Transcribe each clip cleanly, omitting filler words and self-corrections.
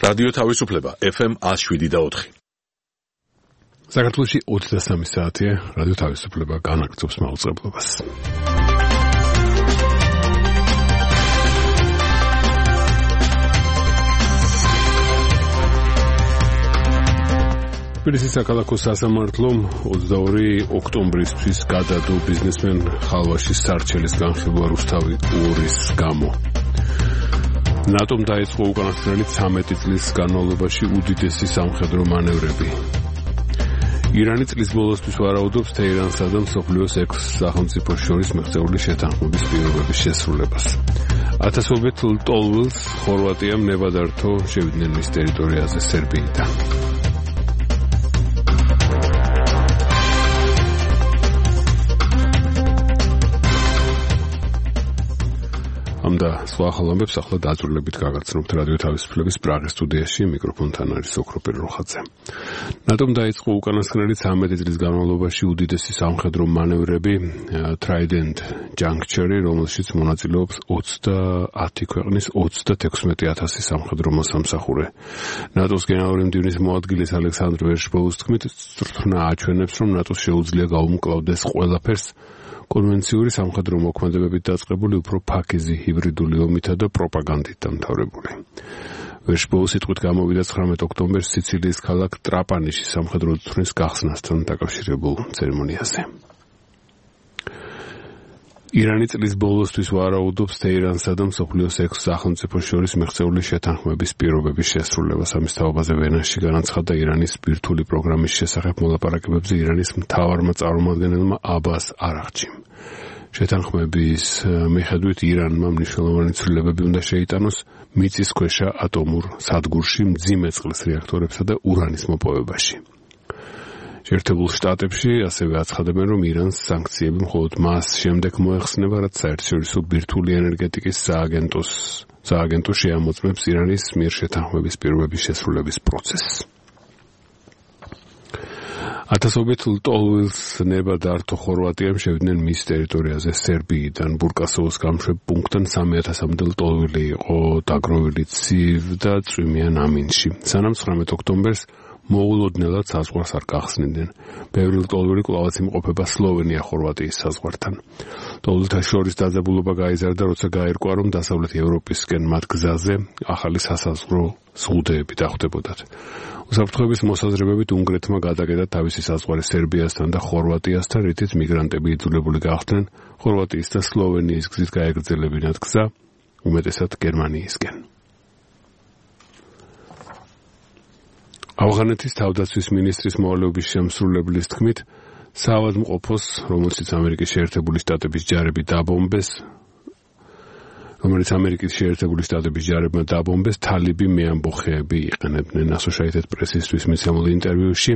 რადიო თავისუფლება FM 107.4. საქართველოში 23 საათია, რადიო თავისუფლება განაგრძობს მაუწყებლობას. თბილისის საქალაქო სასამართლომ 22 ოქტომბრისთვის გადადო ბიზნესმენ ხალვაშის სარჩელის განხილვა რუსთავი 2-ის გამო. ნატომ დაიწყო უკანასკნელი 13 წლის განმავლობაში უდიდესი სამხედრო მანევრები. ირანი წლის ბოლოსთვის ვარაუდობს თეირანსა და მსოფლიოს 6 სახელმწიფოს შორის მიღწეული შეთანხმების პირობების შესრულებას. ათასობით ლტოლვილს ხორვატიამ ნებადართო შევიდნენ მის ტერიტორიაზე სერბიიდან. და სხვა ხალხებს ახლა დაწვრილებით გაგაცნობთ რადიო თავისუფლების პრაღის სტუდიაში მიკროფონთან არის ოქროპერ როხაძე. ნატომ დაიწყო უკანასკნელი 13 წლის განმავლობაში უდიდესი სამხედრო მანევრები Trident Juncture, რომელშიც მონაწილეობს 30 ქვეყნის 36,000 სამხედრო მოსამსახურე. ნატოს გენერალური მდივნის მოადგილის ალექსანდრ ვერშბოუს თქმით, სწრაფნა აჩვენებს, რომ ნატოს შეუძლია გაუმკლავდეს ყველაფერს კონვენციური სამხედრო მოქმედებებით დაწყებული უფრო ფაქიზი ჰიბრიდული ომითა და პროპაგანდით დამთავრებული. ვერშბოუს სიტყვით გამოვიდა 19 ოქტომბერს სიცილიის ქალაქ ტრაპანიშის სამხედრო თვრთნის გახსნასთან დაკავშირებულ ცერემონიაზე. ირანი წლის ბოლოსთვის ვარაუდობს თეირანსა და მსოფლიოს 6 სახელმწიფოს შორის მიღწეული შეთანხმების პირობების შესრულებას. ამის თაობაზე ვენაში განაცხადა ირანის ბირთვული პროგრამის შესახებ მოლაპარაკებებზე ირანის მთავარმა წარმომადგენელმა აბას არაღჩიმ. შეთანხმების მიხედვით ირანმა მნიშვნელოვანი ცვლილებები უნდა შეიტანოს მიწისქვეშა ატომურ სადგურში, მძიმე წყლის რეაქტორებსა და ურანის მოპოვებაში. შეერთებულ შტატებში ასევე აცხადებენ, რომ ირანს სანქციები მხოლოდ მას შემდეგ მოეხსნება, რაც საერთაშორისო ბირთვული ენერგეტიკის სააგენტო შეამოწმებს ირანის მიერ შეთანხმების პირობების შესრულების პროცესს. ათასობით ლტოლვილს ნებადართო ხორვატიამ შევიდნენ მის ტერიტორიაზე სერბიიდან. ბურკასოვოს გამშვებ პუნქტთან 3000-მდე ლტოლვილი იყო დაგროვილი ცივ და წვიმიან ამინში. სანამ 19 ოქტომბერს მოულოდნელად საზღვარს არ გახსნიდნენ. ბევრი ლტოლვილი კვლავაც იმყოფება სლოვენია-ხორვატიის საზღვართან. ლტოლვილთა შორის დაძაბულობა გაიზარდა, როცა გაირკვა, რომ დასავლეთ ევროპისკენ მათ გზაზე ახალი სასაზღვრო ზღუდეები დახვდებოდათ. უსაფრთხოების მოსაზრებებით უნგრეთმა გადაკეტა თავისი საზღვარი სერბიასთან და ხორვატიასთან, რითიც მიგრანტები იძულებული გახდნენ ხორვატიის და სლოვენიის გზით გაეგრძელებინათ გზა, უმეტესად გერმანიისკენ. ავღანეთის თავდაცვის მინისტრის მოვალეობის შემსრულებლის თქმით, საავადმყოფოს, რომელშიც ამერიკის შეერთებული შტატების ჯარები დაბომბეს, თალიბი მეამბოხეები იყენებდნენ. Associated Press-ისთვის მიცემულ ინტერვიუში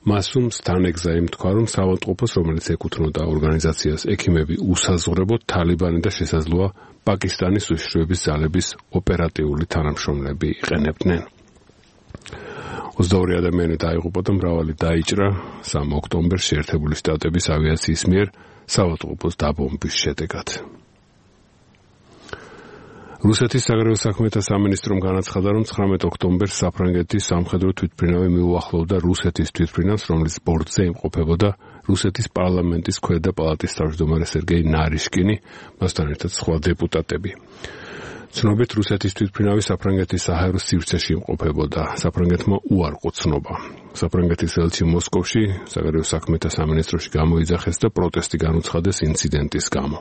მასუმ სტანეგზაიმ თქვა, რომ საავადმყოფოს, რომელიც ეკუთვნოდა ორგანიზაციას ექიმები უსაზღვრებოდ თალიბანი და შესაძლოა პაკისტანის უშიშროების ძალების ოპერატიული თანამშრომლები იყენებდნენ. 22 ადამიანი დაიღუპა და მრავალი დაიჭრა 3 ოქტომბერს შეერთებული შტატების ავიაციის მიერ საავადმყოფოს დაბომბვის შედეგად. რუსეთის საგარეო საქმეთა სამინისტრომ განაცხადა, რომ 19 ოქტომბერს საფრანგეთის სამხედრო თვითმფრინავი მიუახლოვდა რუსეთის თვითმფრინავს, რომლის ბორტზე იმყოფებოდა რუსეთის პარლამენტის ქვედა პალატის თავმჯდომარე სერგეი ნარიშკინი, მასთან ერთად სხვა დეპუტატები. ცნობით რუსეთის თვითმფრინავი საფრანგეთის საჰაერო სივრცეში იმყოფებოდა. საფრანგეთმა უარყო ცნობა. საფრანგეთის ელჩი მოსკოვში საგარეო საქმეთა სამინისტროში გამოიძახეს და პროტესტი განუცხადეს ინციდენტის გამო.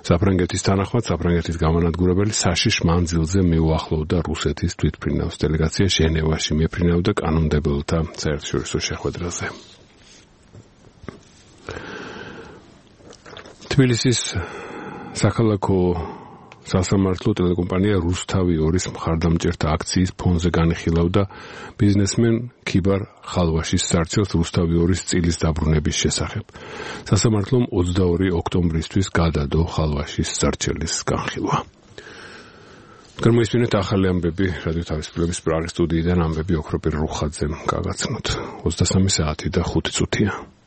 საფრანგეთის თანახმად საფრანგეთის გამანადგურებელი საშიშ მანძილზე მიუახლოვდა რუსეთის თვითმფრინავს. დელეგაცია ჟენევაში მეფრინავდა კანონმდებელთა საერთაშორისო შეხვედრაზე. თბილისის საქალაქო სასამართლო ტელეკომპანია რუსთავი 2-ის მხარდამჭერთა აქციის ფონზე განიხილავდა ბიზნესმენ ქიბარ ხალვაშის სარჩელს რუსთავი 2-ის წილის დაბრუნების შესახებ. სასამართლომ 22 ოქტომბრისთვის გადადო ხალვაშის სარჩელის განხილვა. გამოისმინეთ ახალი ამბები რადიო თავისუფლების პრაღის სტუდიიდან ამბები ოქროპერ როხაძემ გაგაცნოთ. 23 საათი და 5 წუთია.